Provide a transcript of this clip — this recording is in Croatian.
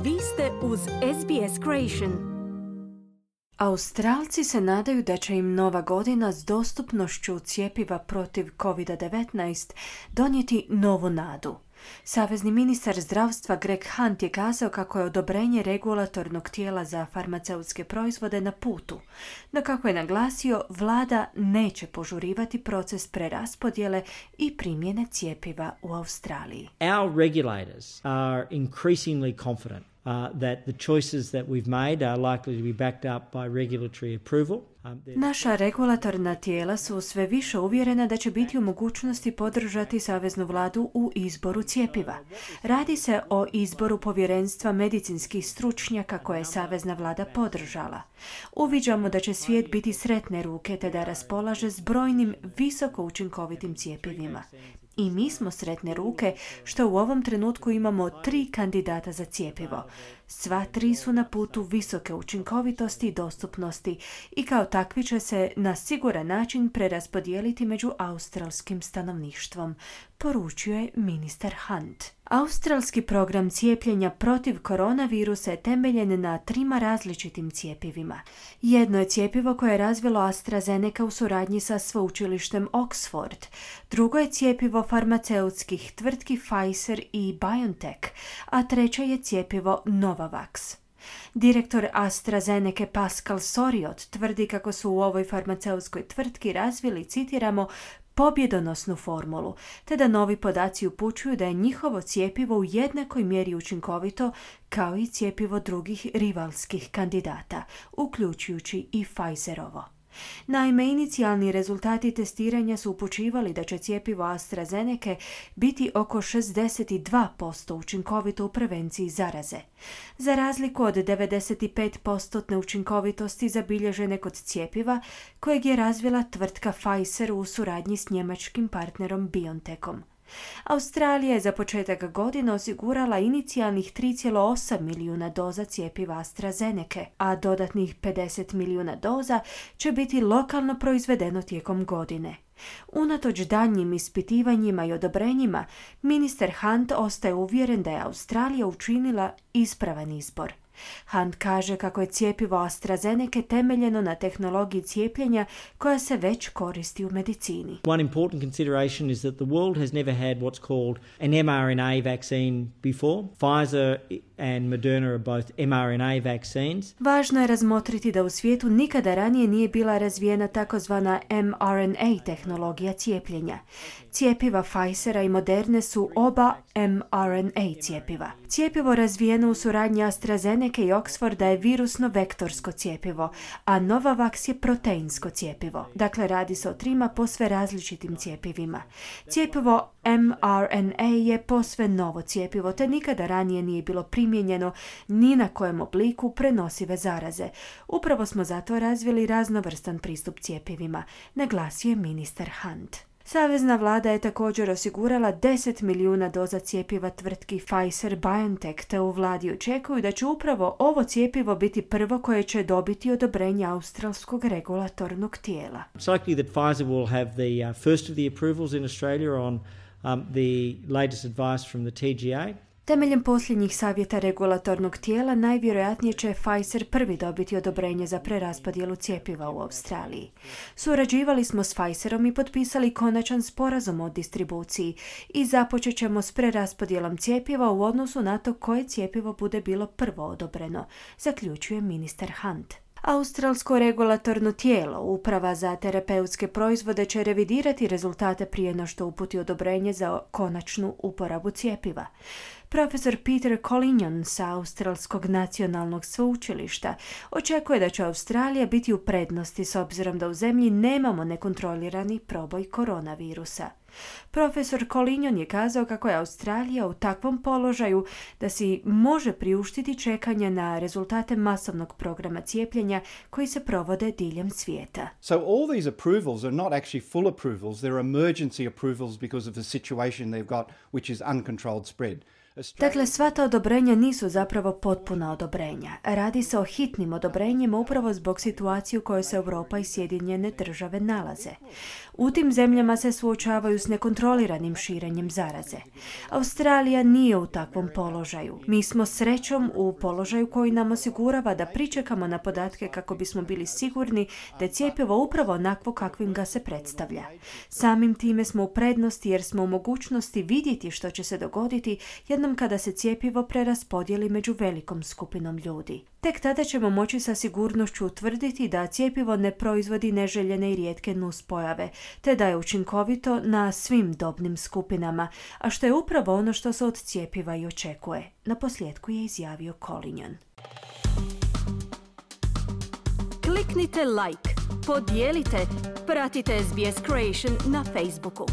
Vi ste uz SBS Creation. Australci se nadaju da će im nova godina s dostupnošću cjepiva protiv COVID-19 donijeti novu nadu. Savezni ministar zdravstva Greg Hunt je kazao kako je odobrenje regulatornog tijela za farmaceutske proizvode na putu, no kako je naglasio, vlada neće požurivati proces preraspodjele i primjene cjepiva u Australiji. Our regulators are increasingly confident that the choices that we've made are likely to be backed up by regulatory approval. Naša regulatorna tijela su sve više uvjerena da će biti u mogućnosti podržati saveznu vladu u izboru cjepiva. Radi se o izboru povjerenstva medicinskih stručnjaka koje je savezna vlada podržala. Uviđamo da će svijet biti sretne ruke te da raspolaže s brojnim visoko učinkovitim cjepivima. I mi smo sretne ruke što u ovom trenutku imamo 3 kandidata za cjepivo. Sva 3 su na putu visoke učinkovitosti i dostupnosti i kao takvi će se na siguran način preraspodijeliti među australskim stanovništvom, poručio je ministar Hunt. Australski program cijepljenja protiv koronavirusa je temeljen na 3 različitim cjepivima. Jedno je cjepivo koje je razvilo AstraZeneca u suradnji sa sveučilištem Oxford. Drugo je cjepivo farmaceutskih tvrtki Pfizer i BioNTech, a treće je cjepivo Novavax. Direktor AstraZeneca Pascal Soriot tvrdi kako su u ovoj farmaceutskoj tvrtki razvili, citiramo, pobjedonosnu formulu, te da novi podaci upućuju da je njihovo cjepivo u jednakoj mjeri učinkovito kao i cjepivo drugih rivalskih kandidata, uključujući i Pfizerovo. Naime, inicijalni rezultati testiranja su upućivali da će cjepivo AstraZeneca biti oko 62% učinkovito u prevenciji zaraze, za razliku od 95% učinkovitosti zabilježene kod cjepiva kojeg je razvila tvrtka Pfizer u suradnji s njemačkim partnerom BioNTechom. Australija je za početak godine osigurala inicijalnih 3,8 milijuna doza cjepiva AstraZeneca, a dodatnih 50 milijuna doza će biti lokalno proizvedeno tijekom godine. Unatoč daljnjim ispitivanjima i odobrenjima, ministar Hunt ostaje uvjeren da je Australija učinila ispravan izbor. Hunt kaže kako je cjepivo AstraZeneca temeljeno na tehnologiji cijepljenja koja se već koristi u medicini. One important consideration is that the world has never had what's called an mRNA vaccine before. Pfizer and Moderna are both mRNA vaccines. Važno je razmotriti da u svijetu nikada ranije nije bila razvijena takozvana mRNA tehnologija cijepljenja. Cjepiva Pfizera i Moderne su oba mRNA cjepiva. Cjepivo razvijeno u suradnji AstraZeneca i Oxforda je virusno-vektorsko cjepivo, a Novavax je proteinsko cjepivo. Dakle, radi se o 3 posve različitim cjepivima. Cjepivo mRNA je posve novo cjepivo, te nikada ranije nije bilo primijenjeno ni na kojem obliku prenosive zaraze. Upravo smo zato razvili raznovrstan pristup cjepivima, naglasio je ministar Hunt. Savezna vlada je također osigurala 10 milijuna doza cjepiva tvrtki Pfizer-BioNTech, te u vladi očekuju da će upravo ovo cjepivo biti prvo koje će dobiti odobrenje australskog regulatornog tijela. It's likely that Pfizer will have the first of the approvals in Australia on the latest advice from the TGA. Temeljem posljednjih savjeta regulatornog tijela, najvjerojatnije će Pfizer prvi dobiti odobrenje za preraspodjelu cjepiva u Australiji. Surađivali smo s Pfizerom i potpisali konačan sporazum o distribuciji i započet ćemo s preraspodjelom cjepiva u odnosu na to koje cjepivo bude bilo prvo odobreno, zaključuje ministar Hunt. Australsko regulatorno tijelo, Uprava za terapeutske proizvode, će revidirati rezultate prije no što uputi odobrenje za konačnu uporabu cjepiva. Profesor Peter Collignon sa Australskog nacionalnog sveučilišta očekuje da će Australija biti u prednosti s obzirom da u zemlji nemamo nekontrolirani proboj koronavirusa. Profesor Collignon je kazao kako je Australija u takvom položaju da si može priuštiti čekanje na rezultate masovnog programa cijepljenja koji se provode diljem svijeta. So all these approvals are not actually full approvals, they're emergency approvals because of the situation they've got, which is uncontrolled spread. Dakle, sva ta odobrenja nisu zapravo potpuna odobrenja. Radi se o hitnim odobrenjima upravo zbog situacije u kojoj se Europa i Sjedinjene države nalaze. U tim zemljama se suočavaju s nekontroliranim širenjem zaraze. Australija nije u takvom položaju. Mi smo srećom u položaju koji nam osigurava da pričekamo na podatke kako bismo bili sigurni da je cjepivo upravo onakvo kakvim ga se predstavlja. Samim time smo u prednosti jer smo u mogućnosti vidjeti što će se dogoditi jednom kada se cjepivo preraspodijeli među velikom skupinom ljudi. Tek tada ćemo moći sa sigurnošću utvrditi da cjepivo ne proizvodi neželjene i rijetke nuspojave, te da je učinkovito na svim dobnim skupinama, a što je upravo ono što se od cjepiva i očekuje. Naposljetku je izjavio Collignon. Kliknite like, podijelite, pratite SBS Creation na Facebooku.